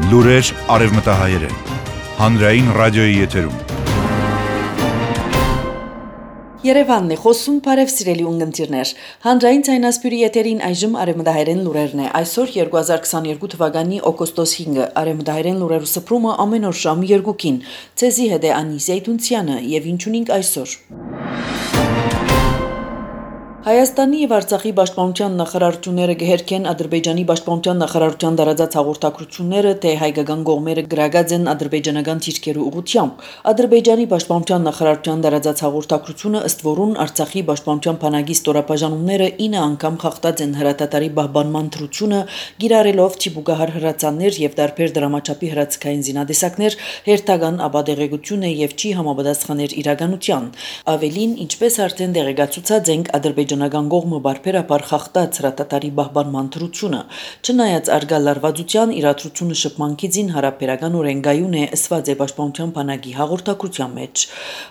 Լուրեր արևմտահայերեն, հանրային ռադիոյի եթերում։ Երևանն է խոսում, բարև սիրելի ունգընտիրներ։ Հանրային ցայնասպյուրի եթերին այժմ արևմտահայերեն լուրերն է։ Այսօր 2022 թվականի օգոստոս 5-ը արևմտահայերեն լուրերու սփռումը ամեն օր ժամը 2-ին։ Ցեզի հետ է Անիսիա Տունցյանը եւ ինչ ունենք այսօր։ Հայաստանի եւ Արցախի պաշտպանության նախարարությունները գերքեն Ադրբեջանի պաշտպանության նախարարության դարաձած հաղորդակցությունները, թե հայկական կողմերը գրագած են ադրբեջանական թիրքերու ուղղությամբ։ Ադրբեջանի պաշտպանության նախարարության դարաձած հաղորդակցությունը ըստ որուն Արցախի պաշտպանության բանակի ստորապաժանումները 9 անգամ խախտած են հրատատարի պահպանման թրությունը, գիրառելով թիպուկահար հրացաններ եւ դարբեր դրամաչափի հրացքային զինադեսակներ, հերթական ապադեղեցությունը եւ չի համապատասխաներ իրականության։ Ավելին, ինչպես արդեն դեղեկացուցած ենք, ադրբեջանական կողմը բարբերաբար խախտած հրատատարի պահպանման թրությունը, չնայած արգա լարվածության իրադրությունը շփմանքիցին հարաբերական օրենգայուն է ըսված է պաշտպանության բանակի հաղորդակցության մեջ։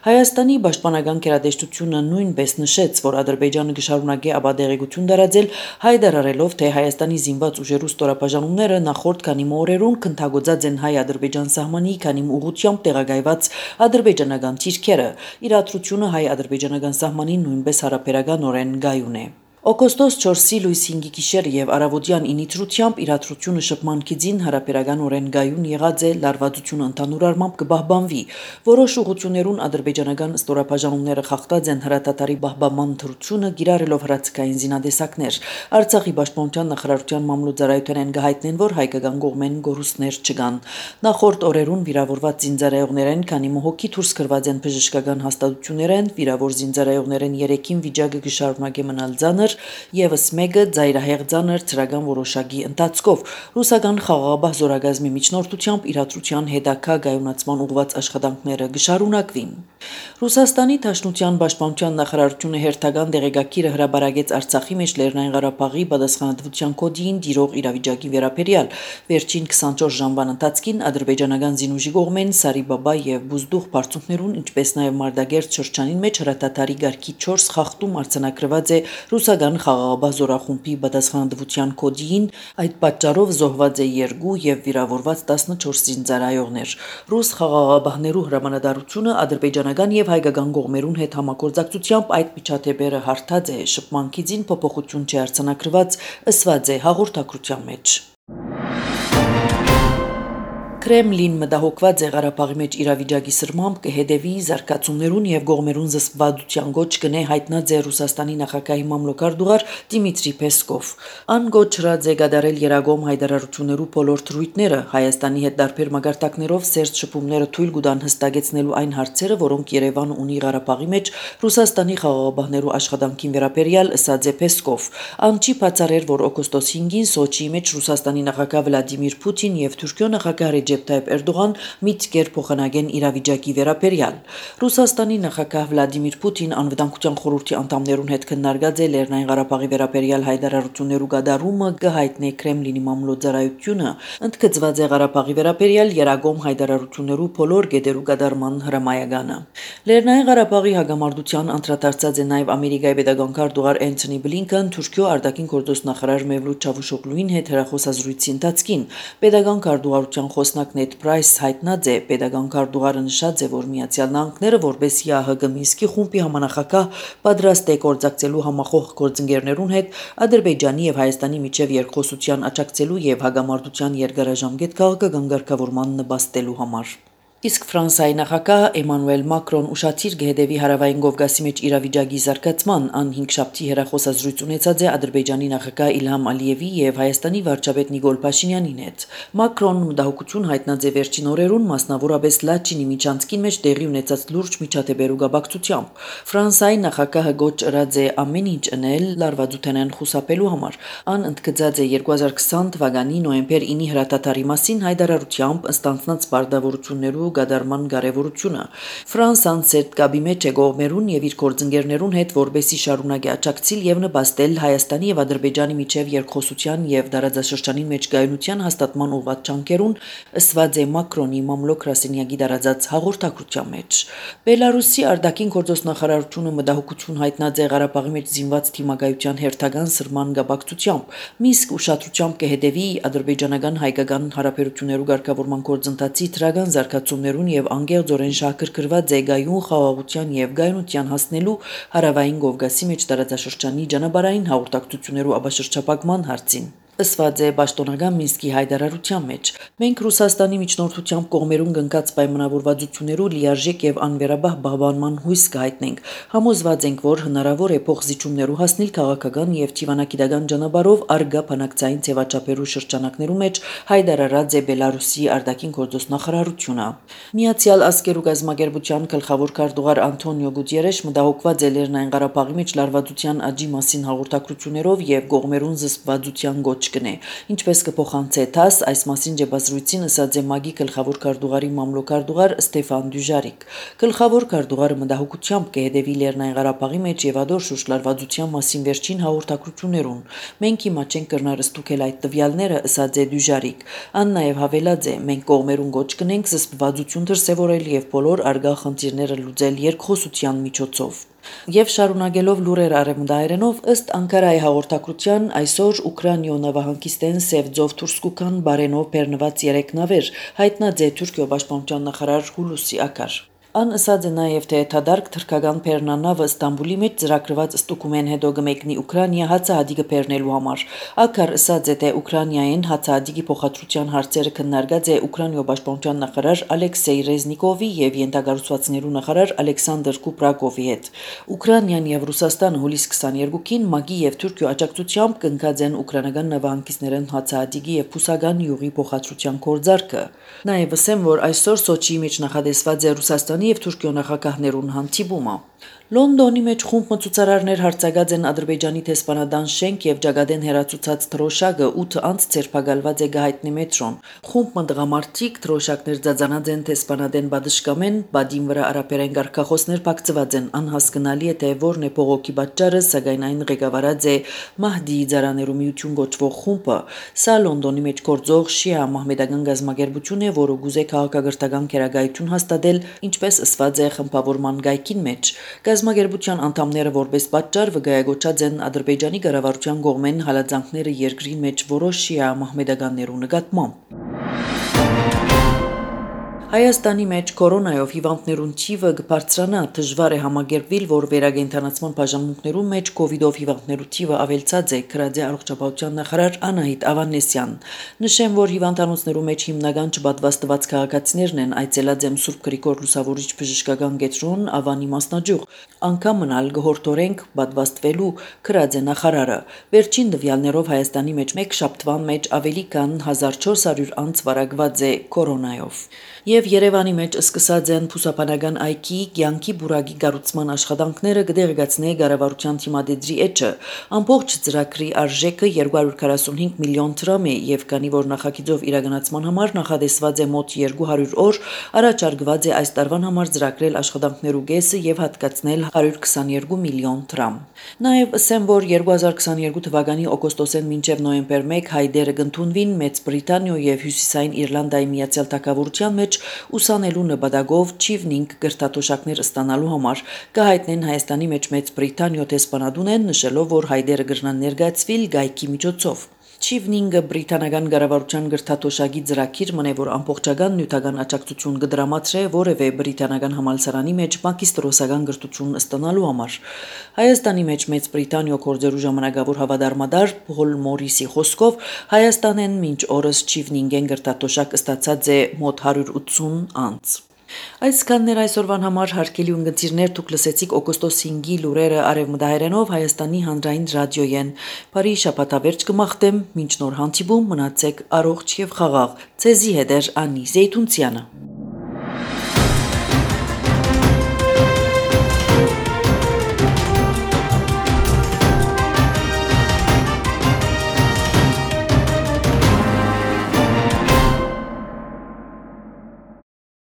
Հայաստանի պաշտպանական գերատեսչությունը նույնպես նշեց, որ Ադրբեջանը կշարունակի ապադեղեցություն տարածել, հայտարարելով, թե Հայաստանի զինված ուժերու ստորապաժանումները նախորդ քանի օրերուն քննադատած են հայ-ադրբեջան սահմանի քանի ուղղությամբ տեղակայված ադրբեջանական թիրքերը։ Իրադրությունը հայ-ադրբեջանական սահմանին նույնպես հարաբերականորեն գայուն է։ Օգոստոս 4-ի լույս 5-ի գիշեր եւ առավոտյան 9-ի թրությամբ իրադրությունը շփմանքիցին հարաբերականորեն գայուն եղած է լարվածությունը ընդհանուր առմամբ կպահպանվի։ Որոշ ուղղություններուն ադրբեջանական ստորապաժանումները խախտած են հրատատարի պահպանման թրությունը, գիրառելով հրացքային զինադեսակներ։ Արցախի պաշտպանության նախարարության մամլոյցարայութեն գահիտնեն, որ հայկական կողմեն գորուստներ չկան։ Նախորդ օրերուն վիրավորված զինծառայողներեն քանի մոհոքի դուրս գրված են բժշկական հաստատություններեն, վիրավոր զինծառայողներեն 3-ին վիճակը կշարունակի մնալ ծանր, Եվս մեկը ծայրահեղ ծանր ծրական որոշակի ընթացքով ռուսական խաղաղապահ զորագազմի միջնորդությամբ իրադրության հետագա գայունացման ուղղված աշխատանքները կշարունակվին։ Ռուսաստանի Դաշնության պաշտպանության նախարարությունը հերթական դեղեկագիրը հրապարակեց Արցախի մեջ Լեռնային Ղարաբաղի պատասխանատվության կոդին տիրող իրավիճակի վերաբերյալ։ Վերջին 24 ժամվան ընթացքին ադրբեջանական զինուժի կողմեն Սարիբաբա եւ Բուզդուղ բարձունքներուն, ինչպես նաեւ Մարտակերտ շրջանին մեջ հրատատարի գարկի 4 խախտում արձանագրված է ռուսական խաղաղապահ զորախումբի պատասխանատվության կոդին, այդ պատճառով զոհված է 2 եւ վիրավորված 14 զինծառայողներ։ Ռուս խաղաղապահներու հրամանատարությունը ադրբեջանական եւ հայկական կողմերուն հետ համագործակցությամբ այդ միջադեպերը հարթած է, շփմանքիցին փոփոխություն չի արձանագրված, ըսված է հաղորդակցության մեջ։ Կրեմլին մտահոգված է Ղարաբաղի մեջ իրավիճակի սրմամբ կհետևի զարգացումներուն եւ կողմերուն զսպվածության գոչ կնե հայտնած է Ռուսաստանի նախագահի մամլոյցարդուղար Դիմիտրի Պեսկով։ Ան գոչրած է գդարել Երագոմ հայտարարություններու բոլոր թրույթները Հայաստանի հետ դարբեր մագարտակներով սերտ շփումները թույլ կտան հստակեցնելու այն հարցերը, որոնք Երևանը ունի Ղարաբաղի մեջ Ռուսաստանի խաղաղապահներու աշխատանքին վերաբերյալ, ըսած է Պեսկով։ Ան չի բացառել, որ օգոստոս 5-ին Սոչիի մեջ Ռուսաստանի նախագահ Վլադիմիր Պուտին եւ Թուրքիո նախագահ Ռեջեփ Թայիփ Էրդողան միտքեր փոխանակեն իրավիճակի վերաբերյալ։ Ռուսաստանի նախագահ Վլադիմիր Պուտին անվտանգության խորհրդի անդամներուն հետ քննարկած է Լեռնային Ղարաբաղի վերաբերյալ հայտարարություններու գդարումը, կհայտնի Կրեմլինի մամլոյցարայությունը, ընդգծված է Ղարաբաղի վերաբերյալ Երագոմ հայտարարություններու բոլոր գետերու գդարման հրամայականը։ Լեռնային Ղարաբաղի հագամարտության անդրադարձած է նաև Ամերիկայի պետական քարտուղար Էնթոնի Բլինքեն Թուրքիո արտաքին գործոստ նախարար Մևլութ Չավուշօգլուին հետ հեռախոսազրույցի ընթացքին։ Պետական քարտուղարության խոսնակ Նեդ Պրայս հայտնած է, պետական քարտուղարը նշած է, որ Միացյալ Նահանգները որպես ՀՀԳ Մինսկի խումբի համանախագահ պատրաստ է գործակցելու համախոհ գործընկերներուն հետ Ադրբեջանի եւ Հայաստանի միջև երկխոսության աջակցելու եւ հագամարտության երկարաժամկետ քաղաքական ղեկավարման նպաստելու համար։ Իսկ Ֆրանսիայի նախագահ Էմանուել Մակրոն ուշադիր կհետևի հարավային Կովկասի մեջ իրավիճակի զարգացման, ան 5 շաբթի հեռախոսազրույց ունեցած է Ադրբեջանի նախագահ Իլհամ Ալիևի եւ Հայաստանի վարչապետ Նիկոլ Փաշինյանին հետ։ Մակրոնն մտահոգություն հայտնած է վերջին օրերուն, մասնավորապես Լաչինի միջանցքին մեջ տեղի ունեցած լուրջ միջադեպերու գաբակցությամբ։ Ֆրանսիայի նախագահը գոչ ըրած է ամեն ինչ անել լարվածութենեն խուսափելու համար։ Ան ընդգծած է 2020 թվականի նոյեմբեր 9-ի հրատատարի մասին հայտարարությամբ ըստ անձնած բարդավորություններու կոչվելու գադարման կարևորությունը։ Ֆրանսան սերտկաբի մեջ է գողմերուն եւ իր գործընկերներուն հետ, որբեսի շարունակի աջակցել եւ նպաստել Հայաստանի եւ Ադրբեջանի միջև երկխոսության եւ դարաձաշրջանի մեջ գայունության հաստատման ուղղված ճանկերուն, ըսված է Մակրոնի մամլոք Ռասինյակի դարաձած հաղորդակցության մեջ։ Բելարուսի արտաքին գործոստ նախարարությունը մտահոգություն հայտնած է Ղարաբաղի մեջ զինված թիմակայության հերթական սրման գաբակցությամբ, Մինսկ ուշադրությամբ կհետևի ադրբեջանական հայկական հարաբերություններու ղեկավարման գործընթացի դրական զարգացումներուն եւ անկեղծորեն շահագրգռված է գայուն խաղաղության եւ գայունության հասնելու հարավային Կովկասի մեջ տարածաշրջանի ճանապարհային հաղորդակցություններու աբաշրջապակման հարցին։ Ըսված է պաշտոնական Մինսկի հայտարարության մեջ։ Մենք Ռուսաստանի միջնորդությամբ կողմերուն կնքած պայմանավորվածություններու լիարժեք եւ անվերաբահ բաղբանման հույս կհայտնենք։ Համոզված ենք, որ հնարավոր է փոխզիջումներու հասնել քաղաքական եւ թիվանակիտական ճանապարհով արգա բանակցային ձևաչափերու շրջանակներու մեջ հայտարարած է Բելարուսի արտաքին գործոստ նախարարությունը։ Միացյալ Ազգերու գազམ་ագերբության գլխավոր քարտուղար Անտոնիո Գուտիերեշ մտահոգված է Լեռնային Ղարաբաղի մեջ լարվածության աճի մասին հաղորդակցություններով եւ կողմերուն զսպվածության գոչ կնե, ինչպես կփոխանցե ԹԱՍ այս մասին ջեբազրույցին ըսած է ՄԱԳ-ի գլխավոր քարտուղարի մամլոքարտուղար Ստեֆան Դյուժարիկ։ Գլխավոր քարտուղարը մտահոգությամբ կհետևի Լեռնային Ղարաբաղի մեջ եւ ադոր շուրջ լարվածության մասին վերջին հաղորդակցություններուն։ Մենք հիմա չենք կրնար ստուգել այդ տվյալները, ըսած է Դյուժարիկ։ Ան նաեւ հավելած է, մենք կողմերուն գոչ կնենք զսպվածություն դրսեւորել եւ բոլոր արգա խնդիրները լուծել երկխոսության միջոցով։ Եվ շարունակելով լուրեր արևմտահայերենով ըստ Անկարայի հաղորդակցության այսօր Ուկրաինայո նավահանգիստեն Սևձով Թուրսկուկան բարենով բեռնված 3 նավեր հայտնած է Թուրքիո պաշտպանության նախարար Հուլուսի Ակար։ Ան ըսած է նաև թե թադարք թրքական բեռնանավը Ստամբուլի մեջ ծրագրված ստուգումեն հետո կմեկնի Ուկրաինա հացահատիկը բեռնելու համար։ Ակար ըսած է թե Ուկրաինայեն հացահատիկի փոխադրության հարցերը քննարկած է Ուկրաինայո պաշտպանության նախարար Ալեքսեյ Ռեզնիկովի եւ յենթագարուցվածքներու նախարար Ալեքսանդր Կուպրակովի հետ։ Ուկրաինան եւ Ռուսաստանը հուլիս 22-ին ՄԱԳ-ի եւ Թուրքիո աջակցությամբ կնքած են ուկրաինական նավահանգիստներեն հացահատիկի եւ փուսական յուղի փոխադրության գործարքը։ Նաեւ ասեմ, որ այսօր Սոչիի մեջ նախադեсված է Ռուսաստանի եւ Թուրքիո նախագահներուն հանդիպումը։ Լոնդոնի մեջ խումբ մցուցարարներ հարցակած են Ադրբեջանի տեսփանադան շենք եւ Ջագադեն հերացուցած թրոշակը 8 անց ցերպակալված է գահիտնի մետրոն։ Խումբ մնդղամարտիկ թրոշակներ ձածանած են տեսփանադեն բադշկամեն, բադին վրա արաբերեն գարկախոսներ բացված են, անհասկանալի է թե որն է փողոքի պատճառը, սակայն այն ղեկավարած է Մահդի Ձարաներու միություն գոչվող խումբը։ Սա Լոնդոնի մեջ գործող շիա մահմեդական գազམ་ագերբություն է, որը գուզե քաղաքագործական քերագայություն հաստատել, ինչպես ըսված է խմբավորման գայքին մեջ։ Գազམ་ագերբության անդամները որպես պատճառ վկայակոչած են Ադրբեջանի կառավարության կողմեն հալածանքները երկրի մեջ որոշ շիա մահմեդականներու նկատմամբ։ Հայաստանի մեջ կորոնայով հիվանդներուն թիվը կբարձրանա, դժվար է համագերբվել, որ վերագենթանացման բաժանմունքներում մեջ կովիդով հիվանդներու թիվը ավելցած է, գրած է առողջապահության նախարար Անահիտ Ավանեսյան։ Նշեմ, որ հիվանդանոցներու մեջ հիմնական չպատվաստված քաղաքացիներն են, այցելած եմ Սուրբ Գրիգոր Լուսավորիչ բժշկական կենտրոն Ավանի մասնաճյուղ, անգամ մնալ գհորտորենք պատվաստվելու, գրած է նախարարը։ Վերջին տվյալներով Հայաստանի մեջ մեկ շաբթվան մեջ ավելի քան 1400 անց վարակված է կորոնայով։ Եվ Երևանի մեջ սկսած են փուսաբանական այգի կյանքի բուրագի կառուցման աշխատանքները կդեղեկացնե կառավարության թիմադեդրի էջը։ Ամբողջ ծրագրի արժեքը 245 միլիոն դրամ է եւ քանի որ նախագիծով իրականացման համար նախադեсված է մոտ 200 օր, առաջարկված է այս տարվան համար ծրագրել աշխատանքներու կեսը եւ հատկացնել 122 միլիոն դրամ։ Նաեւ ասեմ, որ 2022 թվականի օգոստոսեն մինչեւ նոյեմբեր 1 հայդերը կընդունվին Մեծ Բրիտանիա եւ Հյուսիսային Իռլանդիայի Միացյալ Թագավորության մեջ ուսանելու նպատակով չիվնինգ գրթաթոշակներ ստանալու համար կհայտնեն Հայաստանի մեջ Մեծ Բրիտանիա տեսփանադուն են, նշելով, որ հայդերը կգրնան ներկայացվել գայքի միջոցով։ Չիվնինգը բրիտանական կառավարության գրթաթոշակի ծրագիր մնե, որ ամբողջական նյութական աջակցություն կդրամատրե որևէ բրիտանական համալսարանի մեջ մագիստրոսական գրթություն ստանալու համար։ Հայաստանի մեջ Մեծ Բրիտանիա գործերու ժամանակավոր հավատարմադար Փոլ Մորիսի խոսքով Հայաստանեն մինչ օրս Չիվնինգեն գրթաթոշակ ստացած է մոտ 180 անց։ Այսքաններ այսօրվան համար հարգելի ունգընտիրներ, դուք լսեցիք օգոստոս 5-ի լուրերը արևմտահայերենով Հայաստանի հանրային ռադիոյեն։ Բարի շաբաթավերջ կմաղթեմ, մինչ նոր հանդիպում մնացեք առողջ եւ խաղաղ։ Ձեզի հետ է Անի Զեյթունցյանը։